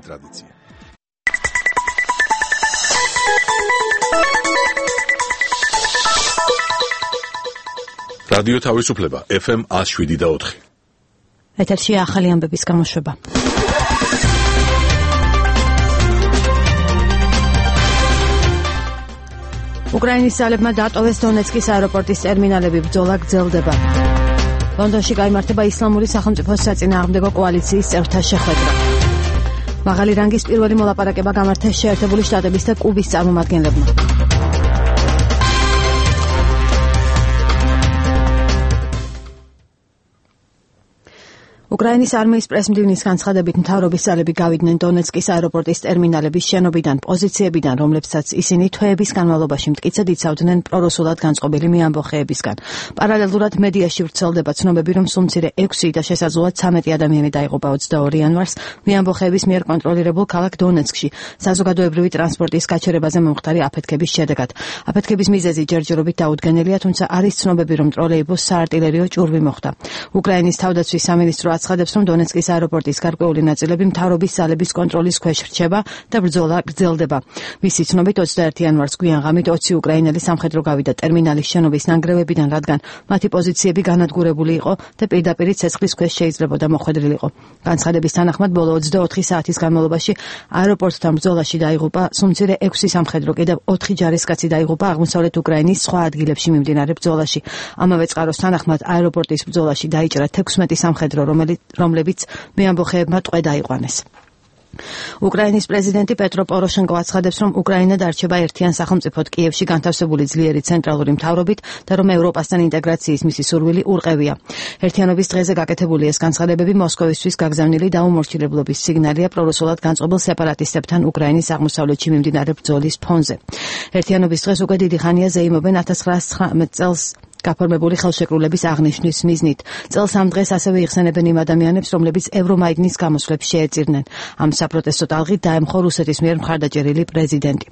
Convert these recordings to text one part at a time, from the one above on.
ტრადიცია. რადიო თავისუფლება FM 107.4. ეთერში ახალი ამბების გამოშვება. უკრაინის ძალებმა დატოვეს დონეცკის აეროპორტის ტერმინალები, ბრძოლა გრძელდება. ლონდონში გაიმართება ისლამური სახელმწიფოს საწინააღმდეგო კოალიციის წევრთა შეხვედრა. მაღალი რანგის პირველი მოლაპარაკება გამართეს შეერთებული შტატების და კუბის წარმომადგენლებმა. უკრაინის არმიის პრესმდივნის განცხადებით მთავრობის ძალები გავიდნენ დონეცკის აეროპორტის ტერმინალების შენობიდან, პოზიციებიდან, რომლებსაც ისინი თვეების განმავლობაში მტკიცედ იცავდნენ პრორუსულად განწყობილი მეამბოხეებისგან. პარალელურად მედიაში ვრცელდება ცნობები, რომ სულ მცირე 6 და შესაძლოა 13 ადამიანი დაიღუპა 22 იანვარს მეამბოხეების მიერ კონტროლირებულ ქალაქ დონეცკში საზოგადოებრივი ტრანსპორტის გაჩერებაზე მომხდარი აფეთქების შედეგად. აფეთქების მიზეზი ჯერჯერობით დაუდგენელია, თუმცა არის ცნობები, რომ ტროლეიბუსს საარტილერიო ჭურვი მოხვდა. უკრაინის თავდაცვის სამინისტრო აცხადებს, რომ დონეცკის აეროპორტის გარკვეული ნაწილები მთავრობის ძალების კონტროლის ქვეშ რჩება და ბრძოლა გრძელდება. მისი ცნობით 21 იანვარს გვიან ღამით 20 უკრაინელი სამხედრო გავიდა ტერმინალის შენობის ნანგრევებიდან, რადგან მათი პოზიციები განადგურებული იყო და პირდაპირ ცეცხლის ქვეშ შეიძლებოდა მოხვედრილიყო. განცხადების თანახმად ბოლო 24 საათის განმავლობაში აეროპორტთან ბრძოლაში დაიღუპა სულ მცირე 6 სამხედრო, კიდევ 4 ჯარისკაცი დაიღუპა აღმოსავლეთ უკრაინის სხვა ადგილებში მიმდინარე ბრძოლაში. ამავე წყაროს თანახმად აეროპორტის ბრძოლაში დაიჭრა 16 სამხედრო, რომლებიც მეამბოხეებმა ტყვე დაიყვანეს. უკრაინის პრეზიდენტი პეტრო პოროშენკო აცხადებს, რომ უკრაინა დარჩება ერთიან სახელმწიფოდ კიევში განთავსებული ძლიერი ცენტრალური მთავრობით და რომ ევროპასთან ინტეგრაციის მისი სურვილი ურყევია. ერთიანობის დღეზე გაკეთებული ეს განცხადებები მოსკოვისთვის გაგზავნილი დაუმორჩილებლობის სიგნალია პრორუსულად განწყობილ სეპარატისტებთან უკრაინის აღმოსავლეთში მიმდინარე ბრძოლის ფონზე. ერთიანობის დღეს უკვე დიდი ხანია ზეიმობენ 1919 წელს გაფორმებული ხელშეკრულების აღნიშვნის მიზნით. წელს ამ დღეს ასევე იხსენებენ იმ ადამიანებს, რომლებიც ევრომაიდნის გამოსვლებს შეეწირნენ. ამ საპროტესტო ტალღით დაემხო რუსეთის მიერ მხარდაჭერილი პრეზიდენტი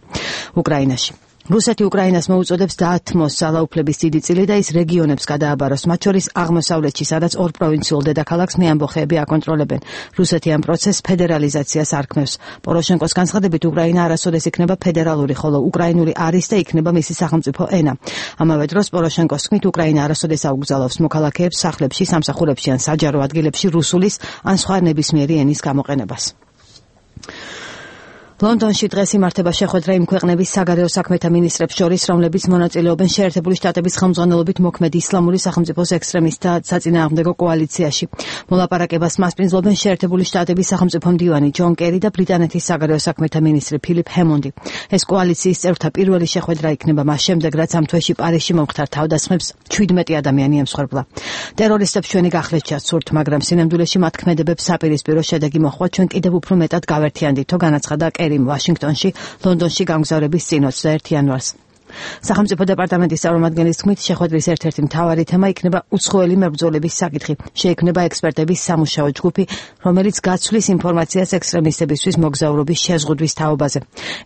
უკრაინაში. რუსეთი უკრაინას მოუწოდებს დაათმოს ძალაუფლების დიდი წილი და ის რეგიონებს გადააბაროს, მათ შორის აღმოსავლეთში, სადაც ორ პროვინციულ დედაქალაქს მეამბოხეები აკონტროლებენ. რუსეთი ამ პროცესს ფედერალიზაციას არქმევს. პოროშენკოს განცხადებით, უკრაინა არასოდეს იქნება ფედერალური, ხოლო უკრაინული არის და იქნება მისი სახელმწიფო ენა. ამავე დროს პოროშენკოს თქმით, უკრაინა არასოდეს აუგზავნებს მოქალაქეებს სახლებში, სამსახურებში ან საჯარო ადგილებში რუსულის ან სხვა ნებისმიერი ენის გამოყენებას. ლონდონში დღეს იმართება შეხვედრა იმ ქვეყნების საგარეო საქმეთა მინისტრებს შორის, რომლებიც მონაწილეობენ შეერთებული შტატების ხელმძღვანელობით მოქმედ ისლამური სახელმწიფოს ექსტრემისტთა საწინააღმდეგო კოალიციაში. მოლაპარაკებას მასპინძლობენ შეერთებული შტატების სახელმწიფო მდივანი ჯონ კერი და ბრიტანეთის საგარეო საქმეთა მინისტრი ფილიპ ჰემონდი. ეს კოალიციის წევრთა პირველი შეხვედრა იქნება მას შემდეგ, რაც ამ თვეში პარიზში მომხდარ თავდასხმებს 17 ადამიანი ემსხვერპლა. ტერორისტებს ჩვენი გახლეჩა სურთ, მაგრამ სინამდვილეში მათ ქმედებებს საპირისპირო შედეგი მოჰყვა, ჩვენ კიდევ უფრო მეტად გავერთიანდით, თო განაცხადა ვაშინგტონში, ლონდონში გამგზავრების წინ 21 იანვარს. სახელმწიფო დეპარტამენტის წარმომადგენლის თქმით, შეხვედრის ერთ-ერთი მთავარი თემა იქნება უცხოელი მებრძოლების საკითხი. შეიქმნება ექსპერტების სამუშაო ჯგუფი, რომელიც გაცვლის ინფორმაციას ექსტრემისტებისთვის მოგზაურობის შეზღუდვის თაობაზე.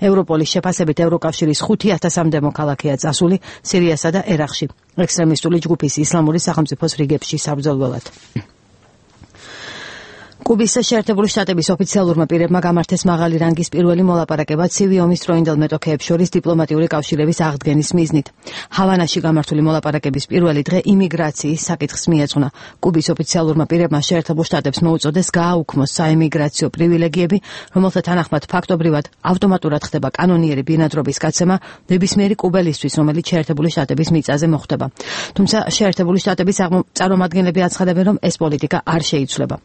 ევროპოლის შეფასებით ევროკავშირის 5000-მდე მოქალაქეა წასული სირიასა და ერაყში. ექსტრემისტული ჯგუფის ისლამური სახელმწიფოს რიგებში საბრძოლველად. კუბის შეერთებული შტატების ოფიციალურმა პირებმა გამართეს მაღალი რანგის პირველი მოლაპარაკება ცივი ომის დროინდელ მეტოქეებს შორის დიპლომატიური კავშირების აღდგენის მიზნით. ჰავანაში გამართული მოლაპარაკების პირველი დღე იმიგრაციის საკითხს მიეძღვნა. კუბის ოფიციალურმა პირებმა შეერთებულ შტატებს მოუწოდეს გააუქმოს საიმიგრაციო პრივილეგიები, რომელთა თანახმად ფაქტობრივად ავტომატურად ხდება კანონიერი ბინადრობის გაცემა ნებისმიერი კუბელისთვის, რომელიც შეერთებული შტატების მიწაზე მოხვდება. თუმცა შეერთებული შტატების წარმომადგენლები აცხადებენ, რომ ეს პოლიტიკა არ შეიცვლება.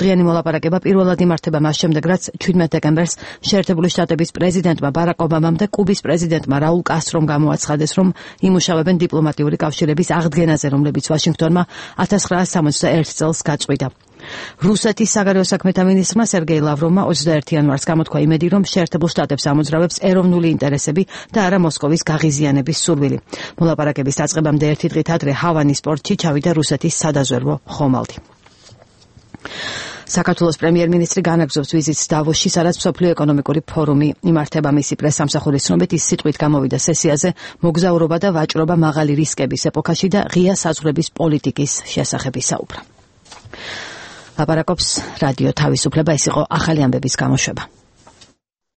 ორდღიანი მოლაპარაკება პირველად იმართება მას შემდეგ, რაც 17 დეკემბერს შეერთებული შტატების პრეზიდენტმა ბარაკ ობამამ და კუბის პრეზიდენტმა რაულ კასტრომ გამოაცხადეს, რომ იმუშავებენ დიპლომატიური კავშირების აღდგენაზე, რომლებიც ვაშინგტონმა 1961 წელს გაწყვიტა. რუსეთის საგარეო საქმეთა მინისტრმა სერგეი ლავროვმა 21 იანვარს გამოთქვა იმედი, რომ შეერთებულ შტატებს ამოძრავებს ეროვნული ინტერესები და არა მოსკოვის გაღიზიანების სურვილი. მოლაპარაკების დაწყებამდე ერთი დღით ადრე ჰავანის პორტში ჩავიდა რუსეთის სადაზვერვო ხომალდი. საქართველოს პრემიერ-მინისტრი განაგრძობს ვიზიტს დავოსში, სადაც მსოფლიო ეკონომიკური ფორუმი იმართება. მისი პრესამსახურის ცნობით, ის სიტყვით გამოვიდა სესიაზე მოგზაურობა და ვაჭრობა მაღალი რისკების ეპოქაში და ღია საზღვრების პოლიტიკის შესახებ ისაუბრა. ლაპარაკობს რადიო თავისუფლება. ეს იყო ახალი ამბების გამოშვება.